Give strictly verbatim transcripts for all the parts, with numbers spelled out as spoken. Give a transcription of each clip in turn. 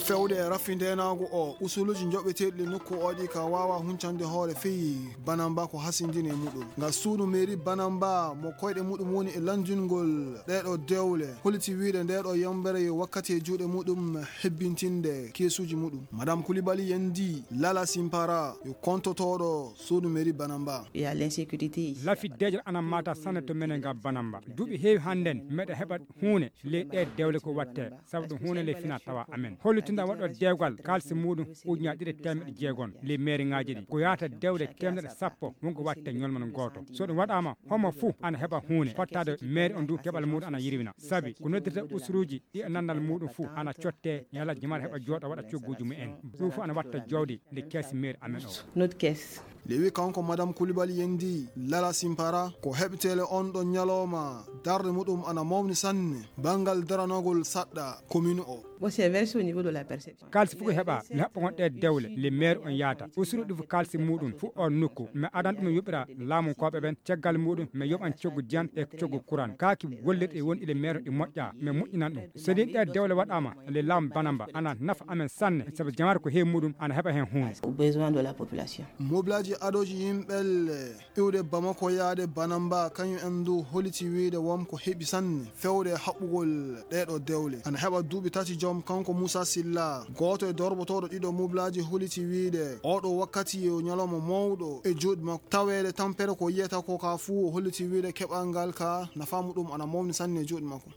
Fewde e rafi ndeenaagu o, usuluuji njoɓeteeɗi le nokku o ɗi ka waawa huncande hoore feyi Banamba ko hasindini e muɗum. Ngal suudu mairie Banamba mo koyɗe muɗum woni e lanndingol ɗeeɗo dewle, holiti wiide ndeeɗo yambere yo wakkati e juuɗe muɗum hebbintinde keesuuji muɗum. Madame Koulibaly Yendi Lala Simpara yo kontotooɗo suudu mairie Banamba. Il y a l'insécurité ici. Lafi dejal ana mata sanne to menen ga Banamba. Duuɓi heewi hannden meɗa heɓa huune ley ɗe dewle ko watte, sabu ɗum huune ley fina tawa amen. Hollitinda waɗo dewgal kalsi muɗum ujunnaaje ɗiɗi e teemeɗɗe jeegom ley meeriŋaaji ɗi. Ko yaata dewle teemeɗɗe sappo wonko watte ñolmano gooto. So ɗum waɗaama, homo fuu ana heɓa huune fottaade meeri on du keɓal muɗum ana yirwina. Sabi ko noddirta usuruuji ɗi e nannal muɗum fuu ana cotte, yalla jamaare heɓa jooɗa waɗa cogguuji mumen. Ɗum fuu ana watta jowdi nde keesi meeri amen o. Notre caisse. Lewi kanko Madame Koulibaly Yendi Lala Simpara ko heɓtele on ɗon ñalawma darde muɗum ana mawni sanne banngal daranagol saɗɗa commune o. Bon, c'est versé au niveau de la perception. Kalsi fof ko heɓa le haɓɓa gon ɗe dewle le maire on yaata usuru ɗi fof kalsi muɗum fof on nokku mi adan ɗum yoɓira laamunkooɓe ɓen caggal muɗum mi yoɓan coggu diyan e coggu kuran kaaki gollirɗe won ile maire ɗi moƴƴa mi moƴƴinan ɗum so ɗin ɗe dewle waɗama le laamu banamba ana nafa amen sanne sabu jamaare ko heewi muɗum ana heɓa hen hunde. Au besoin de la population. Moblaaji adooji yimɓelle iwde Bamako yaade Banamba kañum en du holiti wiide won ko heɓi sanne fewde haɓɓugol ɗeeɗo dewle. Ana heɓa duuɓi tati joom kanko Moussa Silla, gooto e dorbotooɗo ɗiɗo moblaaji holiti wiide oɗo wakkati yo ñalawma mawɗo e juuɗe makko. Taweede tampere ko yiyata ko ka fuu o holliti wiide keɓal ngal ka nafa muɗum ana mawni sanne e juuɗe makko.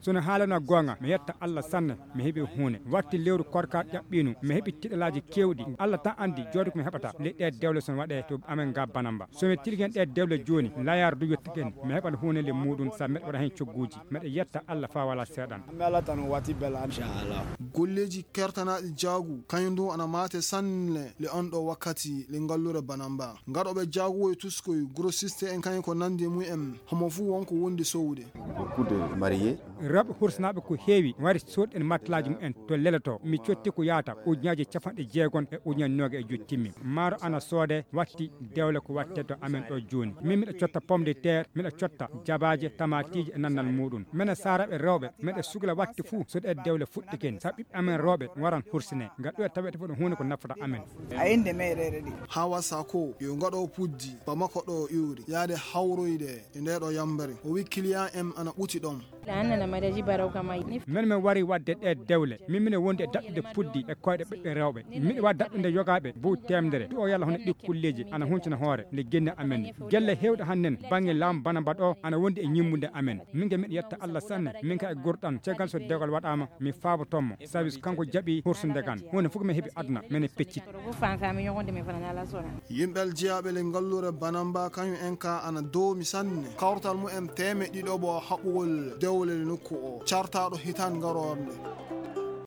Sono haalana goonga mi yetta Allah sanne mi heɓi huunde watti lewru korka ƴaɓɓinu mi heɓi tiɗalaaji keewɗi Allah tan anndi jooɗi ko mi heɓata le ɗe dewle sono waɗe to amen ga Banamba somi tilgen ɗe dewle jooni layar du yettigen mi heɓal huunde le muɗum sa meɗa waɗa heen cogguuji meɗa yetta Allah fa wala seeɗan. Golleeji kertanaaɗi jaagu kañum du ana maate sanne le on ɗo wakkati le ngallure Banamba. Ngaɗooɓe jaagu e tuskoy grossiste en kañum ko nanndi mum en homo fuu won ko wondi sowde. Beaucoup de mariés. Rewɓe hursanaaɓe ko heewi wari soodɗen matlaaji mumen to leleto mi cotti ko yaata ujunnaaje capanɗe jeegom e ujunnaaje nooga e joyi timmi maaro ana soode watti dewle ko watte to amen ɗo jooni min miɗa cotta pomme de terre miɗa cotta jabaaje tamaatiiji e nannal muɗum minen saaraaɓe rewɓe miɗa sugla watti fuu so ɗe dewle fuɗɗiken sabu ɓiɓɓe amen rewɓe waran hursine ngam ɗum e tawete fof ɗum huunde ko nafata amen. A innde meereere ɗi. Hawa Sako yo ngaɗo puddi Bamako ɗo iwri yaade hawroyde e nde ɗo yambere o wi client en ana ɓuti ɗon. Min min wari wadde ɗe dewle min mine wondi e daɗɗude puddi e koyɗe ɓiɓɓe rewɓe miɗo wa daɗɗude yogaaɓe buw temdere ɗo yalla hono ɗi kulleeji ana huncina hoore nde genne amen gelle heewɗe hannden bannge laamu Banamba ɗo ana wondi e ñimmude amen min ga miɗo yetta Allah sanne min ka e gurɗan caggal so dewgal waɗaama mi faabotommo sabi so kanko jaɓi hursude kan huunde fof ko mi heɓi aduna mene pecciti. Yimɓe aljiyaaɓe le ngallure Banamba kañum en ka ana doomi sanne kawtal mumen teemeɗɗe ɗiɗo ɓo haɓɓugol dewle le nokku o cartaaɗo hitaande ngarorde.